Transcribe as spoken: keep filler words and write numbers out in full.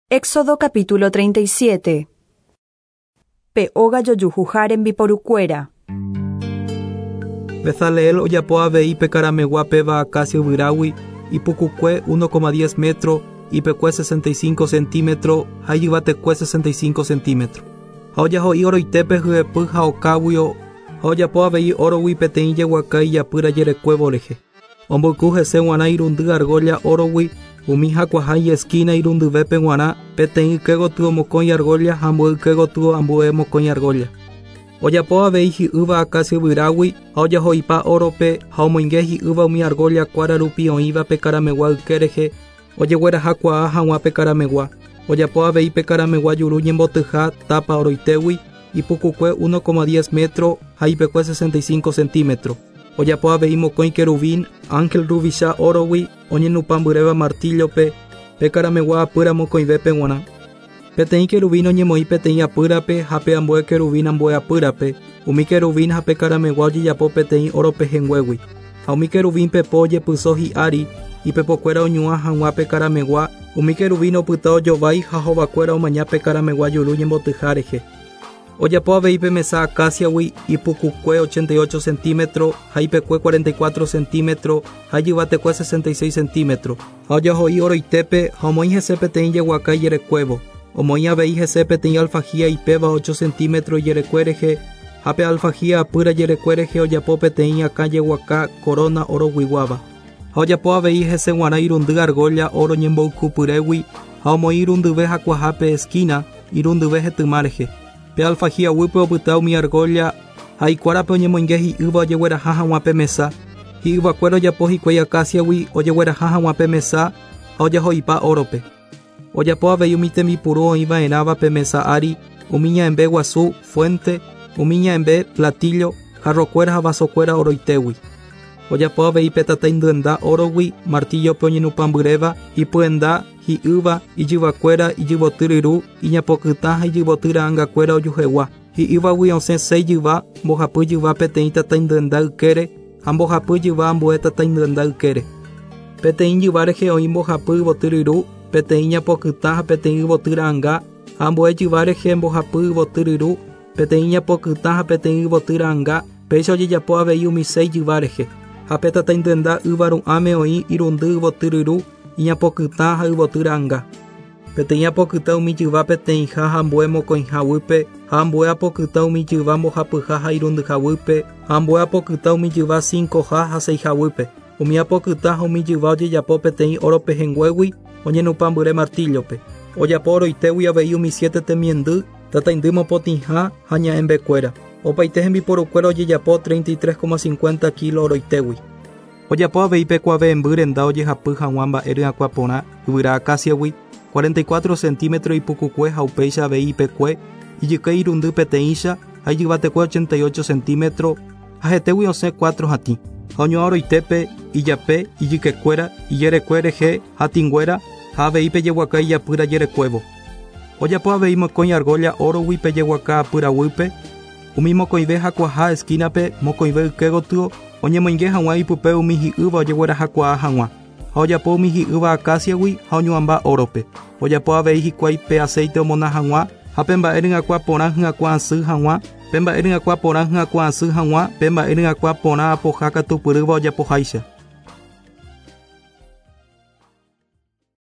Éxodo capítulo treinta y siete. Pe óga jojuhuha rembiporukuéra. Bezaleel ojapo avei pe karamegua péva acacia yvyrágui, ipukukue uno coma diez metro, ipekue sesenta y cinco centímetro, ha ijyvatekue sesenta y cinco centímetro. Ha ojaho'i oroitépe hyepy ha okáguio, ha ojapo avei órogui peteĩ jeguaka ijapýra jerekuévo rehe. Omboyku hese g̃uarã irundy argolla órogui, umi hakuaha ijesquina irundyvépe g̃uarã, peteĩ yke gotyo mokõi argolla ha ambue yke gotyo ambue mokõi argolla. Ojapo avei hi'ýva acacia yvyrágui ha ojaho'ipa órope ha omoinge hi'ýva umi argolla kuára rupi oĩva pe karamegua yke rehe, ojeguerahakuaa hag̃ua pe karamegua. Ojapo avei pe karamegua juru ñembotyha tapa oroitégui, ipukukue uno coma diez metro ha ipekue sesenta y cinco centímetro. Ojapo avei mokõi querubín, ángel ruvicha órogui, oñenupãmbyréva martillope, pe karamegua apýra mokõivépe g̃uarã. Peteĩ querubín oñemoĩ peteĩ apýrape ha pe ambue querubín ambue apýrape, umi querubín ha pe karamegua ojejapo peteĩ oro pehẽnguégui. Ha umi querubín pepo ojepyso hi'ári, ipepokuéra oñuã hag̃ua pe karamegua, umi querubín opyta ojovái ha hovakuéra omaña pe karamegua juru ñembotyha rehe. Ojapo avei pe mesa acaciagui, ipukukue ochenta y ocho centímetro, ha ipekue cuarenta y cuatro centímetro, ha ijyvatekue sesenta y seis centímetro. Ha ojaho'i oroitépe ha omoĩ hese peteĩ jeguaka ijerekuévo. Omoĩ avei hese peteĩ alfajía ipéva ocho centímetro ijerekue rehe, ha pe alfajía apýra jerekue rehe ojapo peteĩ akã jeguaka corona oroguiguáva. Ha ojapo avei hese g̃uarã irundy argolla oro ñemboykupyrégui ha omoĩ irundyve hakuahápe esquina, irundyve hetyma rehe. Pe alfajía guýpe opyta umi argolla ha ikuárape oñemoinge hi'ýva ojegueraha hag̃ua pe mesa. Hi'yvakuéra ojapo hikuái acaciagui ojegueraha hag̃ua pe mesa ha ojaho'ipa órope. Ojapo avei umi tembipuru oĩva'erãva pe mesa ári, umi ña'ẽmbe guasu, fuente, umi ña'ẽmbe, platillo, jarrokuéra ha vasokuéra oroitégui. Ojapo avei pe tataindyenda órogui, martillope oñenupãmbyréva, ipyenda, hi'ýva, ijyvakuéra, ijyvoty ryru, iñapokytã ha ijyvoty ra'angakuéra ojuhegua. Hi'ývagui osẽ seis jyva, mbohapy jyva peteĩ tataindyenda ykére ha mbohapy jyva ambue tataindyenda ykére. Peteĩ jyva rehe oĩ mbohapy yvoty ryru, peteĩ ñapokytã ha peteĩ yvoty ra'anga, ha ambue jyva rehe mbohapy yvoty ryru, peteĩ ñapokytã ha peteĩ yvoty ra'anga, péicha ojejapo avei umi seis jyva rehe. Ha pe tataindyenda yva ru'ãme oĩ irundy yvoty ryru, iñapokytã ha yvoty ra'anga. Peteĩ apokytã umi jyva peteĩha ha ambue mokõiha guýpe, ha ambue apokytã umi jyva mbohapyha ha irundyha guýpe, ha ambue apokytã umi jyva cincoha ha seiha guýpe. Umi apokytã ha umi jyva ojejapo peteĩ oro pehẽnguégui oñenupãmbyre martillope. Ojapo oroitégui avei umi siete temiendy, tataindy mopotĩha ha ña'ẽmbekuéra. Opaite hembiporukuéra ojejapo treinta y tres coma cincuenta kilo oroitégui. Ojapo avei pe kuave'ẽmby renda ojehapy hag̃ua mba'e ryakuã porã yvyra acaciagui, cuarenta y cuatro centímetro ipukukue ha upéicha avei ipekue, ijyke irundy peteĩcha ha ijyvatekue ochenta y ocho centímetro, ha hetégui osẽ cuatro hatĩ. Ha oñuã oroitépe, ijape, ijykekuéra, ijerekue rehe, hatĩnguéra, ha avei pe jeguaka ijapýra jerekuévo. Ojapo avei mokõi argolla órogui pe jeguaka apýra guýpe, umi mokõive hakuaha esquinape, mokõive yke gotyo, oñemoinge hag̃ua ipype umi hi'ýva ojeguerahakuaa hag̃ua. Ha ojapo umi hi'ýva acaciagui ha oñuãmba órope. Ojapo avei hikuái pe aceite omona hag̃ua, ha pe mba'e ryakuã porã hyakuã asy hag̃ua, pe mba'e ryakuã porã hyakuã asy hag̃ua, pe mba'e ryakuã porã apoha katupyrýva ojapoháicha.